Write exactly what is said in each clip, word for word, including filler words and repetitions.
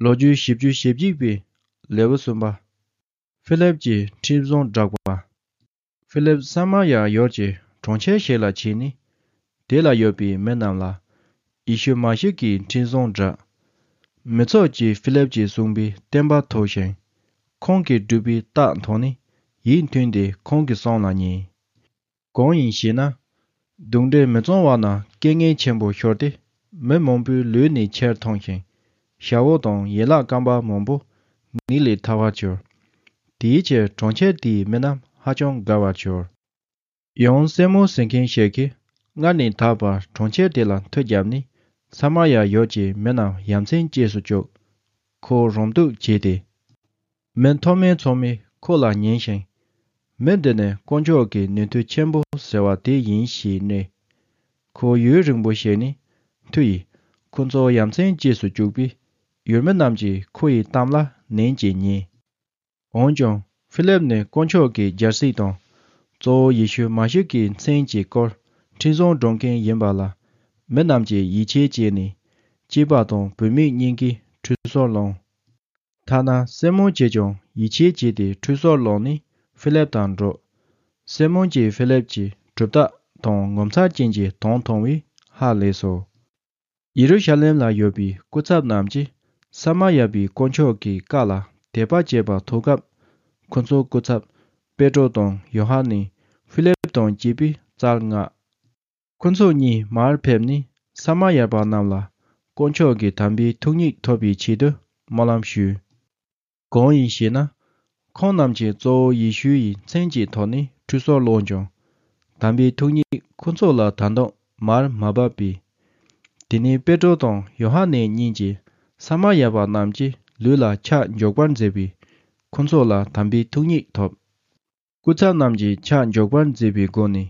ལོ་རྒྱུས་བཞི་བཅུ་ཞེ་གཅིག་པའི་ལེའུ་གསུམ་པ། ཧྥི་ལེབ་ཀྱིས་ཁྲིམས་བཟུང་བསྒྲགས་པ། ཧྥི་ལེབ་ས་མ་ཡ་ཡུལ་གྱི་གྲོང་ཁྱེར་ཞིག་ལ་ཕྱིན་ནས། དེ་ལ་ཡོད་པའི་མི་རྣམས་ལ་ཡེ་ཤུ་མ་ཤི་ཀའི་ཁྲིམས་བཟུང་བསྒྲགས། མི་ཚོགས་ཀྱིས་ཧྥི་ལེབ་ཀྱིས་གསུངས་པའི་བསྟན་པ་ཐོས་ཤིང་། ཁོང་གིས་བསྒྲུབས་པའི་རྟགས་མཐོང་ནས་ཡིད་མཐུན་ཏེ་ཁོང་གི་གསུང་ལ་ཉན། གང་ཡིན་ཞེ་ན། གདུང་འདྲེ་མི་གཙང་བ་ན་རྐྱེན་ངན་ཆེན་པོ་ཤོར་ཏེ། མི་མང་པོའི་ལུས་ནས་ཆེར་ཐོན་ཞིང་། ཞ་བོ་དང་ཡན་ལག་སྐམ་པ་མང་པོ་ངེས་ལས་ཐར་བར་གྱུར། དེའི་ཕྱིར་གྲོང་ཁྱེར་དེའི་མི་རྣམས་ཧ་ཅང་དགའ་བར་གྱུར། ཡང་སི་མོན་ཟེར་མཁན་ཞིག་གིས་སྔར་ནས་ད་བར་གྲོང་ཁྱེར་དེ་ལ་མཐུ་བརྒྱབ་ནས། ས་མ་ཡ་ཡུལ་གྱི་མི་རྣམས་ཡ་མཚན་སྐྱེས་སུ་བཅུག་ཁོ་རང་སྡུག་བྱས་ཏེ། མི་མཐོ་དམན་ཚང་མས་ཁོ་ལ་ཉན་ཞིང་། མི་འདི་ནི་དཀོན་མཆོག་གི་ནུས་མཐུ་ཆེན་པོ་ཟེར་བ་དེ་ཡིན་ཞེས་སྨྲས། ཁོ་ཡུན་རིང་པོ་བཞུགས་ནས་མཐུ་ཡིས་ཁོ་ཚོ་ཡ་མཚན་སྐྱེས་སུ་བཅུག་པས། ཡུལ་མི་རྣམས་ཀྱིས་ཁོ་ཡི་གཏམ་ལ་ནན་གྱིས་ཉན། འོན་ཀྱང་ཧྥི་ལེབ་ནི་དཀོན་མཆོག་གི་རྒྱལ་སྲིད་དང་། གཙོ་བོ་ཡེ་ཤུ་མ་ཤི་ཀའི་མཚན་གྱི་སྐོར་ཁྲིམས་བཟུང་སྒྲུབ་མཁན་ཡིན་པ་ལ། མི་རྣམས་ཀྱིས་ཡིད་ཆེས་བྱས་ནས། སྐྱེས་པ་དང་བུད་མེད་གཉིས་ཀས་ཁྲུས་གསོལ་བླངས། ཐ་ན་སི་མོན་གྱིས་ཀྱང་ཡིད་ཆེས་བྱས་ཏེ་ཁྲུས་གསོལ་བླངས་ནས་ཧྥི་ལེབ་དང་འགྲོགས། སི་མོན་གྱིས་ཧྥི་ལེབ་ཀྱི་གྲུབ་རྟགས་དང་ངོ་མཚར་ཅན་གྱི་དོན་མཐོང་བས་ཧ་ལས་སོ། ཡེ་རུ་ཤ་ལེམ་ལ་ཡོད་པའི་སྐུ་ཚབ་རྣམས་ཀྱིས་ས་མ་ཡ་པའི་དཀོན་མཆོག་གི་བཀའ་ལ་དད་པ་བྱེད་པར་ཐུག་སྐབས། ཁོ་ཚོའི་སྐུ་ཚབ་པེ་ཏྲོ་དང་ཡོ་ཧ་ནན་ཧྥི་ལེབ་དང་བཅས་པའི་རྩར་མངགས། ཁོ་ཚོ་གཉིས་མར་ཕེབས་ནས་ས་མ་ཡ་པ་རྣམས་ལ་དཀོན་མཆོག་གི་དམ་པའི་ཐུགས་ཉིད་ཐོབ་པའི་ཆེད་དུ་སྨོན་ལམ་ཞུས། གང་ཡིན་ཞེ་ན། ཁོང་རྣམས་ཀྱིས་གཙོ་བོ་ཡེ་ཤུ་ཡི་མཚན་གྱི་ཐོག་ནས་ཁྲུས་གསོལ་བླངས་ཀྱང་། དམ་པའི་ཐུགས་ཉིད་ཁོ་ཚོ་ལ་ད་དུང་མར་མ་བབས་པས། དེ་ནས་པེ་ཏྲོ་དང་ཡོ་ཧ་ནན་གཉིས་ཀྱིས་ས་མ་ཡ་པ་རྣམས་ཀྱི་ལུས་ལ་ཆག་འཇོག་པར་མཛད་པས། ཁོ་ཚོ་ལ་དམ་པའི་ཐུགས་ཉིད་ཐོབ། སྐུ་ཚབ་རྣམས་ཀྱིས་ཆག་འཇོག་པར་མཛད་པའི་སྒོ་ནས་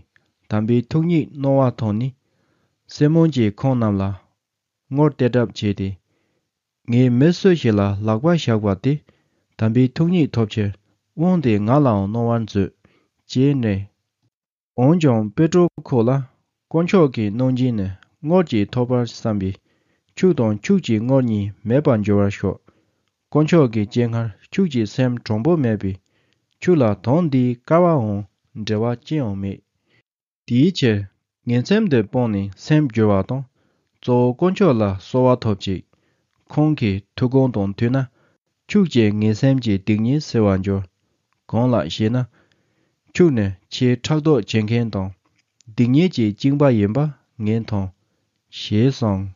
དམ་པའི་ཐུགས་ཉིད་སྣང་བ་མཐོང་ནས། སི་མོན་གྱིས་ཁོང་རྣམས་ལ་ངོར་གཏད་གྲབས་བྱས་ཏེ། ངས་མི་སུ་ཞིག་ལ་ལག་པ་བཞག་པ་དེ་དམ་པའི་ཐུགས་ཉིད་ཐོབ་ཕྱིར་དབང་དེ་ང་ལའང་གནང་བར་མཛོད། ཅེས་སྨྲས། འོན་ཀྱང་པེ་ཏྲོ་ཁོ་ལ། དཀོན་མཆོག་གི་གནང་སྦྱིན་ནི་དངོས་ཀྱིས་ཐོབ་པར་བསམ་པས། ཁྱོད་དང་ཁྱོད་ཀྱི་དངོས་གཉིས་མེད་པར་འགྱུར་བར་ཤོག་དཀོན་མཆོག་གི་སྤྱན་སྔར་ཁྱོད་ཀྱི་སེམས་དྲང་པོ་མེད་པས། ཁྱོད་ལ་དོན་འདིའི་སྐལ་བའང་འབྲེལ་བ་ཅི་ཡང་མེད། དེའི་ཕྱིར་ངན་སེམས་འདི་སྤངས་ནས་སེམས་བསྒྱུར་བ་དང་། གཙོ་བོ་དཀོན་མཆོག་ལ་གསོལ་བ་ཐོབ་ཅིག་ཁོང་གི་ཐུགས་དགོངས་དང་མཐུན་ན། ཁྱོད་ཀྱི་ངན་སེམས་ཀྱི་སྡིག་ཉེས་སེལ་བར་འགྱུར། གང་ལགས་ཞེ་ན། ཁྱོད་ནི་ཆེས་ཕྲག་དོག་བྱེད་མཁན་དང་། སྡིག་ཉེས་ཀྱི་གཅིན་པ་ཡིན་པ་ངས་མཐོང་། ཞེས་གསུངས།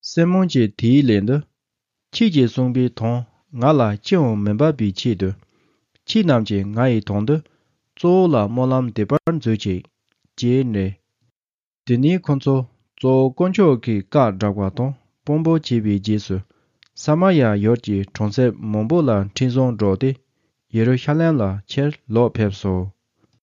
སི་མོན་གྱིས་དེའི་ལན་དུ། ཁྱེད་ཀྱིས་གསུངས་པའི་དོན་ང་ལ་ཅི་ཡང་མི་འབབ་པའི་ཆེད་དུ། ཁྱེད་རྣམས་ཀྱིས་ང་ཡི་དོན་དུ་གཙོ་བོ་ལ་སྨོན་ལམ་འདེབས་པར་མཛོད་ཅིག་ཅེས་སྨྲས། དེ་ནས་ཁོ་ཚོ་གཙོ་བོ་དཀོན་མཆོག་གི་བཀའ་བསྒྲགས་པ་དང་དཔང་པོ་བྱས་པའི་རྗེས་སུ། ས་མ་ཡ་ཡུལ་གྱི་གྲོང་གསེབ་མང་པོ་ལ་ཁྲིམས་བཟང་བསྒྲགས་ཏེ། ཡེ་རུ་ཤ་ལེམ་ལ་ཕྱིར་ལོག་ཕེབས་སོ།